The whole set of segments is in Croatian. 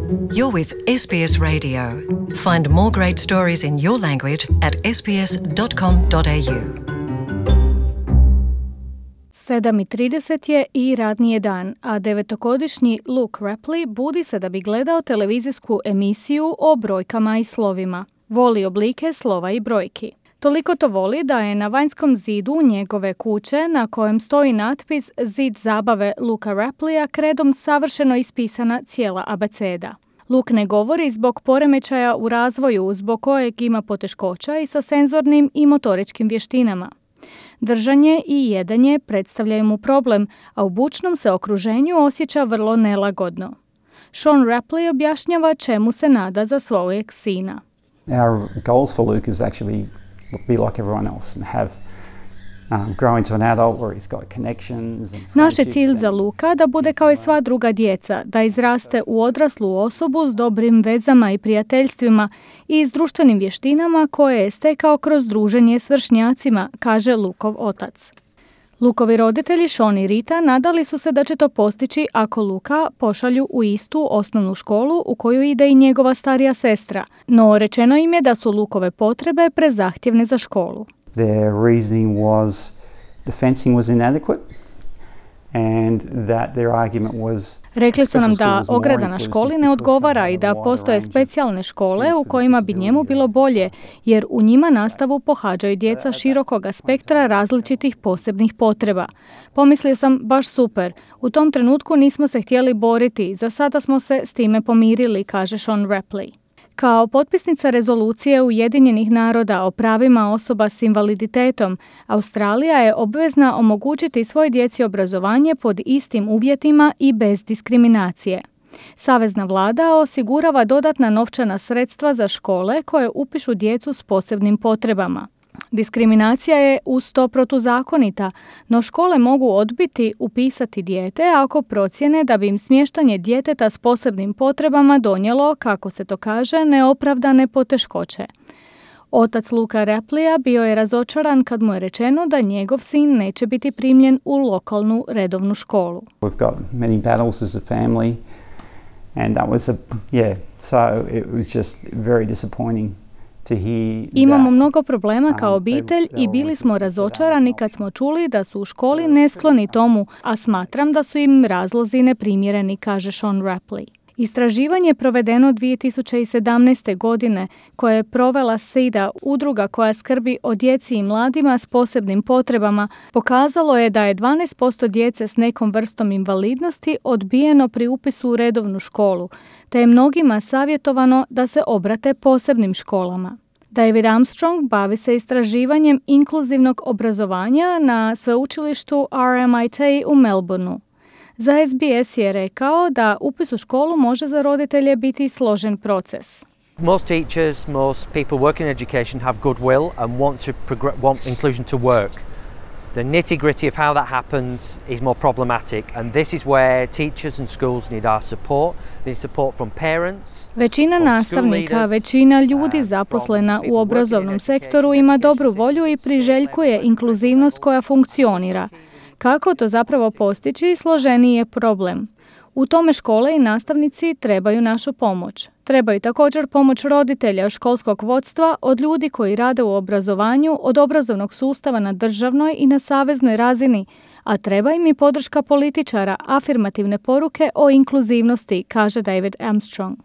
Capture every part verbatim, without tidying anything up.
You're with S B S Radio. Find more great stories in your language at s b s dot com dot a u. sedam i trideset je i radni je dan, a devetogodišnji Luke Rapley budi se da bi gledao televizijsku emisiju o brojkama i slovima. Voli oblike slova i brojki. Toliko to voli da je na vanjskom zidu njegove kuće, na kojem stoji natpis Zid zabave Luka Rapleya, kredom savršeno ispisana cijela abeceda. Luke ne govori zbog poremećaja u razvoju, zbog kojeg ima poteškoća i sa senzornim i motoričkim vještinama. Držanje i jedanje predstavljaju mu problem, a u bučnom se okruženju osjeća vrlo nelagodno. Sean Rapley objašnjava čemu se nada za svojeg sina. Our goals for Luke is actually be like everyone else and have um, grow into an adult where he's got connections and Naš je cilj za Luka da bude kao i sva druga djeca, da izraste u odraslu osobu s dobrim vezama i prijateljstvima i s društvenim vještinama koje je stekao kroz druženje s vršnjacima, kaže Lukov otac. Lukovi roditelji Sean i Rita nadali su se da će to postići ako Luka pošalju u istu osnovnu školu u koju ide i njegova starija sestra, no rečeno im je da su Lukove potrebe prezahtjevne za školu. Their reasoning was the fencing was inadequate and that their argument was Rekli su nam da ograda na školi ne odgovara i da postoje specijalne škole u kojima bi njemu bilo bolje, jer u njima nastavu pohađaju djeca širokog spektra različitih posebnih potreba. Pomislio sam, baš super. U tom trenutku nismo se htjeli boriti, za sada smo se s time pomirili, kaže Sean Rapley. Kao potpisnica rezolucije Ujedinjenih naroda o pravima osoba s invaliditetom, Australija je obvezna omogućiti svoj djeci obrazovanje pod istim uvjetima i bez diskriminacije. Savezna vlada osigurava dodatna novčana sredstva za škole koje upišu djecu s posebnim potrebama. Diskriminacija je uz to protuzakonita, no škole mogu odbiti upisati dijete ako procjene da bi im smještanje djeteta s posebnim potrebama donijelo, kako se to kaže, neopravdane poteškoće. Otac Luka Rapleya bio je razočaran kad mu je rečeno da njegov sin neće biti primljen u lokalnu redovnu školu. We've got many battles as a family and that was a yeah, so it was just very disappointing. Imamo mnogo problema kao obitelj i bili smo razočarani kad smo čuli da su u školi neskloni tomu, a smatram da su im razlozi neprimjereni, kaže Sean Rapley. Istraživanje provedeno dvije tisuće sedamnaeste. godine koje je provela SIDA, udruga koja skrbi o djeci i mladima s posebnim potrebama, pokazalo je da je dvanaest posto djece s nekom vrstom invalidnosti odbijeno pri upisu u redovnu školu, te je mnogima savjetovano da se obrate posebnim školama. David Armstrong bavi se istraživanjem inkluzivnog obrazovanja na sveučilištu R M I T u Melbourneu. Za S B S je rekao da upis u školu može za roditelje biti složen proces. Most teachers, most people working in education have good will and want to progr- want inclusion to work. The nitty-gritty of how that happens is more problematic, and this is where teachers and schools need our support. They need support from parents. Većina nastavnika, većina ljudi zaposlena u obrazovnom sektoru ima dobru volju i priželjkuje inkluzivnost koja funkcionira. Kako to zapravo postići, složeniji je problem. U tome škole i nastavnici trebaju našu pomoć. Trebaju također pomoć roditelja, školskog vodstva, od ljudi koji rade u obrazovanju, od obrazovnog sustava na državnoj i na saveznoj razini, a treba im i podrška političara, afirmativne poruke o inkluzivnosti, kaže David Armstrong.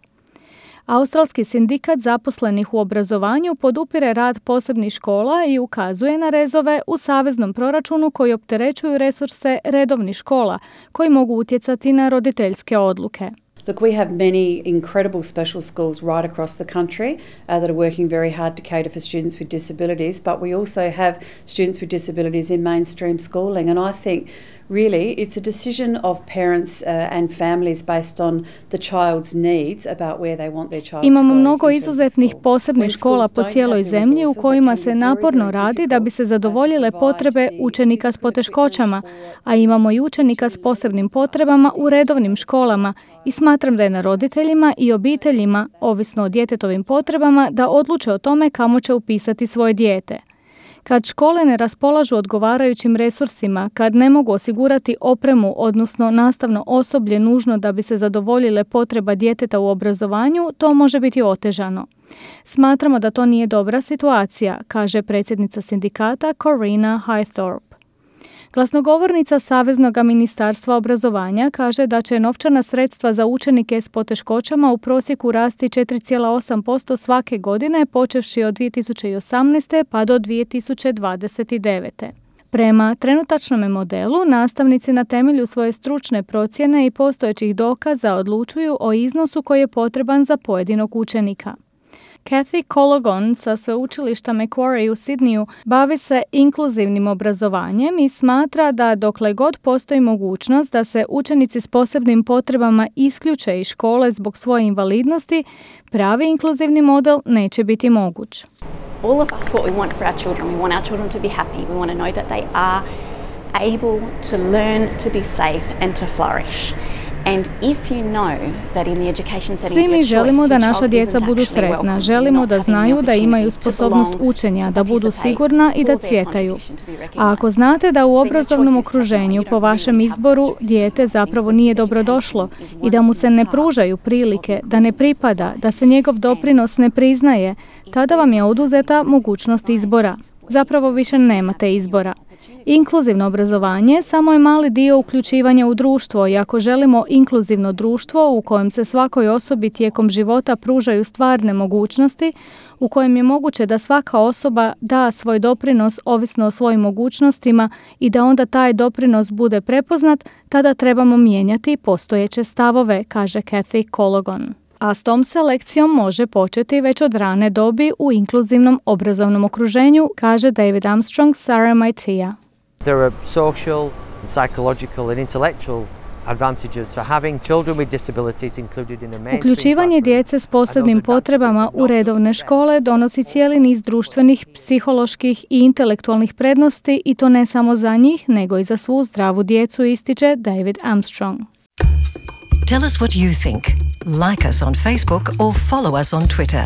Australski sindikat zaposlenih u obrazovanju podupire rad posebnih škola i ukazuje na rezove u saveznom proračunu koji opterećuju resurse redovnih škola, koji mogu utjecati na roditeljske odluke. Look, we have many incredible special schools right across the country uh, that are working very hard to cater for students with disabilities, but we also have students with disabilities in mainstream schooling, and I think really it's a decision of parents uh, and families based on the child's needs about where they want their child to go. Imamo mnogo izuzetnih posebnih škola po cijeloj zemlji u kojima se naporno radi da bi se zadovoljile potrebe učenika s poteškoćama, a imamo i učenika s posebnim potrebama u redovnim školama i smatram da je na roditeljima i obiteljima, ovisno o djetetovim potrebama, da odluče o tome kamo će upisati svoje dijete. Kad škole ne raspolažu odgovarajućim resursima, kad ne mogu osigurati opremu, odnosno nastavno osoblje nužno da bi se zadovoljile potreba djeteta u obrazovanju, to može biti otežano. Smatramo da to nije dobra situacija, kaže predsjednica sindikata Corina Highthorpe. Glasnogovornica Saveznog ministarstva obrazovanja kaže da će novčana sredstva za učenike s poteškoćama u prosjeku rasti četiri zarez osam posto svake godine, počevši od dvije tisuće osamnaeste pa do dvije tisuće dvadeset devete. Prema trenutačnom modelu, nastavnici na temelju svoje stručne procjene i postojećih dokaza odlučuju o iznosu koji je potreban za pojedinog učenika. Kathy Cologon sa sveučilišta Macquarie u Sidneyu bavi se inkluzivnim obrazovanjem i smatra da dokle god postoji mogućnost da se učenici s posebnim potrebama isključe iz škole zbog svoje invalidnosti, pravi inkluzivni model neće biti moguć. All of us, what we want for our children, we want our children to be happy. We want to know that they are able to learn, to be safe and to flourish. And if you know that in the education setting Svi mi želimo da naša djeca budu sretna, želimo da znaju da imaju sposobnost učenja, da budu sigurna i da cvjetaju. A ako znate da u obrazovnom okruženju po vašem izboru dijete zapravo nije dobrodošlo i da mu se ne pružaju prilike, da ne pripada, da se njegov doprinos ne priznaje, tada vam je oduzeta mogućnost izbora. Zapravo više nemate izbora. Inkluzivno obrazovanje samo je mali dio uključivanja u društvo i ako želimo inkluzivno društvo u kojem se svakoj osobi tijekom života pružaju stvarne mogućnosti, u kojem je moguće da svaka osoba da svoj doprinos ovisno o svojim mogućnostima i da onda taj doprinos bude prepoznat, tada trebamo mijenjati postojeće stavove, kaže Kathy Cologon. A s tom se lekcijom može početi već od rane dobi u inkluzivnom obrazovnom okruženju, kaže David Armstrong s R M I T-a. There are social, psychological and intellectual advantages for having children with disabilities included in a mainstream. Uključivanje djece s posebnim potrebama u redovne škole donosi cijeli niz društvenih, psiholoških i intelektualnih prednosti i to ne samo za njih, nego i za svu zdravu djecu, ističe David Armstrong. Tell us what you think. Like us on Facebook or follow us on Twitter.